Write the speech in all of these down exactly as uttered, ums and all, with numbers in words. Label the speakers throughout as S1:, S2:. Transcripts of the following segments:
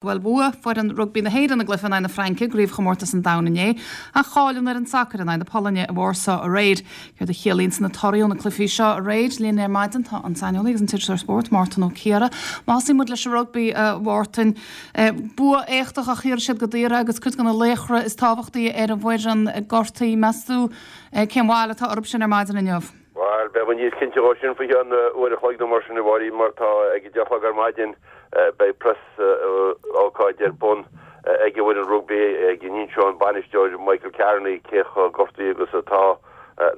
S1: Bhuel, bhuaigh foireann rugbaí na hÉireann a gcluiche in aghaidh na Fraince i gcraobhchomórtas an domhain inné, ach chaill an fhoireann sacair in aghaidh na Polainne i Warsaw aréir. Céard a chiallaíonn na torthaí ó na cluichí seo aréir? Linn ar maidin tá an saineolaí agus an t-iriseoir spóirt Mártan Ó Ciardha. Má thosaíonn muid leis an rugbaí, a Mhártain, bua éachtach ach shaothraigh siad go daor é agus cuid de na laochra is tábhachtaí ar an bhfoireann gortaithe. Meas tú cén bhail atá orthu sin ar maidin inniu?
S2: Bhuel, beidh muid níos cinnte dhó sin faoi cheann uair a chloig nó mar sin, a Mháirín, mar tá ag a deich a chlog ar maidin beidh preas ócáid ar bun ag an bhfoireann rugbaí ag a n-inseoidh an bainisteoir Michael Carney cé chomh gortaithe agus atá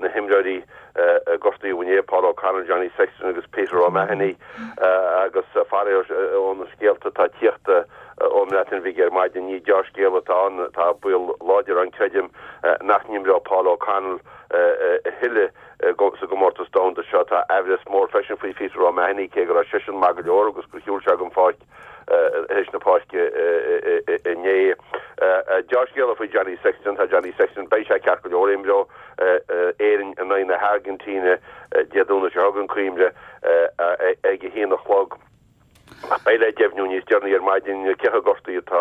S2: na himreoirí a gortaíodh inné, Paul O'Connell, Johnny Sexton agus Peter O'Mahony, agus faraor ó na scéalta atá ag tíocht ón mBreatain Bhig ar maidin, ní deá-scéal atá ann, tá baol láidir ann, creidim, nach n-imreoidh Paul O'Connell a thuilleadh sa gcomórtas domhanda seo. Tá aimhreas mór freisin faoi Peter O'Mahony, cé go raibh seisean maith go leor agus gur shiúil sé den pháirc théis na páirce inné. Deá-scéala faoi Johnny Sexton, tá Johnny Sexton, beidh sé ceart go leor, imreoidh Éirinn in aghaidh na hAirgintíne Dé Domhnaigh seo chugainn, cuimhnigh, ag a haon a chlog. Ach beidh le deimhniú níos deireanaí ar maidin cé chomh gortaithe atá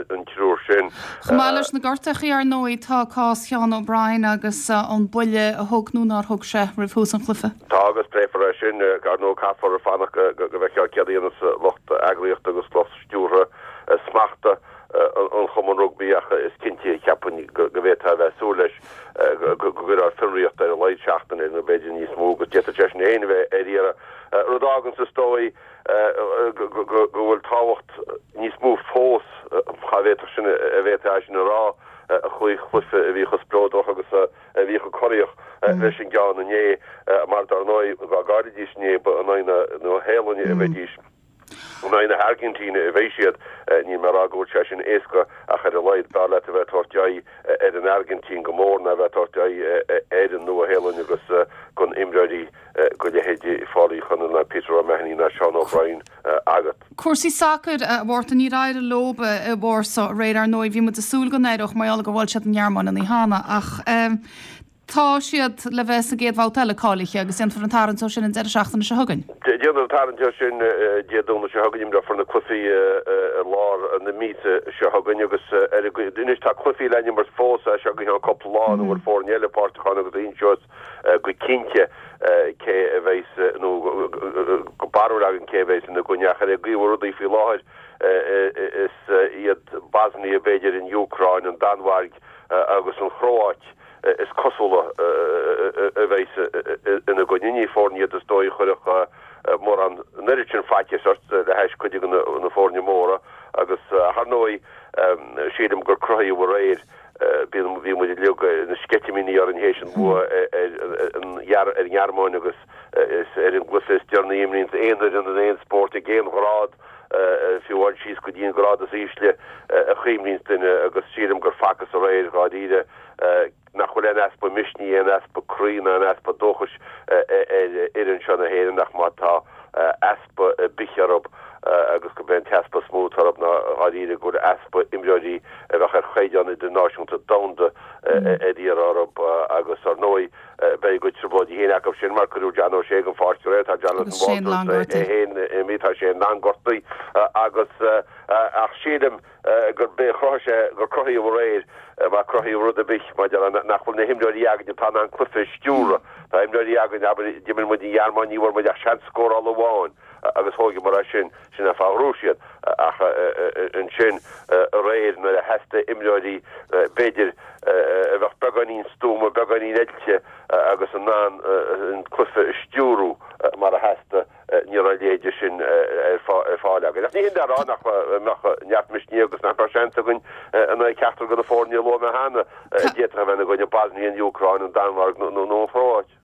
S2: an triúr sin.
S1: Chomh maith leis na gortuithe, ar ndóigh, tá cás Sheán O'Brien agus an buille a thug nó nár thug sé roimh thús an chluiche.
S2: Tá agus pléifear é sin. Ar ndóigh, caithfear fanacht go bhfeicfear céard a dhéanfas lucht eagraíochta agus lucht stiúrtha smachta an Chumainn Rugbaí ach is cinnte, cheapfainn, go bhféadfá a bheith ag súil leis go gcuirfear fionraíocht ar a laghad seachtain air nó b'fhéidir níos mó agus d'fhéadfadh seisean féin a bheith ar iarraidh. Rud a fháganns, is dóigh, go bhfuil tábhacht níos mó fós, dá bhféadfadh sin, a bhféadfá é sin a rá, an chluiche a bhí chomh spleodrach agus a bhí chomh corraitheach leis an gceann inné, mar dar ndóigh, dá gcaillfidís inné, ba in aghaidh na Nua-Shéalainne a bheidís. In aghaidh na hAirgintíne a bheidh siad. Níl mé ag rá go bhfuil sé sin éasca ach ar a laghad b'fhearr leat a bheith ag tabhairt aghaidh ar an Airgintín go mór ná a bheith ag tabhairt aghaidh ar an Nua-Shéalainn agus gan imreoirí de leithéidí Pháil Uí Chonaill ná Peter O'Mahony ná Seán O'Brien agat.
S1: Cúrsaí sacair, a Mhártain, níor éirigh leo i Warsaw aréir, ar ndóigh. Bhí muid ag súil go n-éireodh mar gheall gur bhuail siad an Ghearmáin an oíche cheana ach tá siad le bheith sa gcéad bhabhta eile cáilithe agus déanfar an tarraingt ó sin an deireadh seachtaine seo chugainn.
S2: Déanfar an tarraingt ó sin Dé Domhnaigh seo chugainn, imreofar na cluichí i lár na míosa seo chugainn agus ar anois tá cluichí le n-imirt fós as seo go ceann cúpla lá ina bhfuil foirne eile páirteach ann agus inseos go cinnte cé a bheas nó barúil againn cé a bheas ina gcoinne ach ar an gcaoi a bhfuil rudaí faoi láthair is iad Bosnia b'fhéidir, an Úcráin, an Danmhairg agus an Chróáit is cosúla a bheas ina gcoinne. Ní foirne iad is dóigh a chuirfeadh mórán an oiread sin faitíos ort le hais cuid de na foirne móra agus ar ndóigh sílim gur cruthaíodh aréir bíonn bhí muid uilig na sceitimíní orainn théis an bua ar an nGearmáin agus is ar an gcluiche is deireanaí a imríonns aon fhoireann in aon spórt ag aon ghrád fiú amháin síos go dtí an grád is ísle a chuimhníonns duine agus sílim gur facthas aréir dháiríre nach bhfuil aon easpa misnigh, aon easpa croí ná aon easpa dóchais ar fhoireann seo na hÉireann ach má tá easpa ar bith orthu agus gurb é an t-easpa is mó atá orthu ná dháiríre go bhfuil easpa imreoirí a bheadh ar chaighdeán idirnáisiúnta domhanda ar iarraidh orthu agus ar ndóigh beidh a gcuid trioblóidí féin acu sin mar cuireadh John O'Shea den pháirc aréir, tá Jonathan Walters é féin imithe, tá Shane Long gortaithe agus ach sílim gurb é a chruthaigh sé, gur cruthaíodh aréir, má cruthaíodh rud ar bith, maidir le nach bhfuil na himreoirí againn atá in ann cluiche a stiúradh. Tá imreoirí againn, abair, d'imir muid an Ghearmáin, ní bhfuair muid ach seans scórála amháin agus thógamar é sin, sin an fáth a ghnóthaigh siad. Ach ansin aréir nuair a theastaigh imreoirí, b'fhéidir, a bheadh beagáinín stuama, beagáinín oilte agus in ann an cluiche a stiúradh mar a theastaigh, Ní raibh a leithéid sin ar fáil againn. Ach ní hin le rá nach mbeadh neart misnigh agus nach mbeadh seans againn in aghaidh ceachtar de na foirne a luaigh mé cheana a d'fhéadfadh a bheith ina gcoinne, Bosnia, an Úcráin, an Danmhairg nó an Chróit.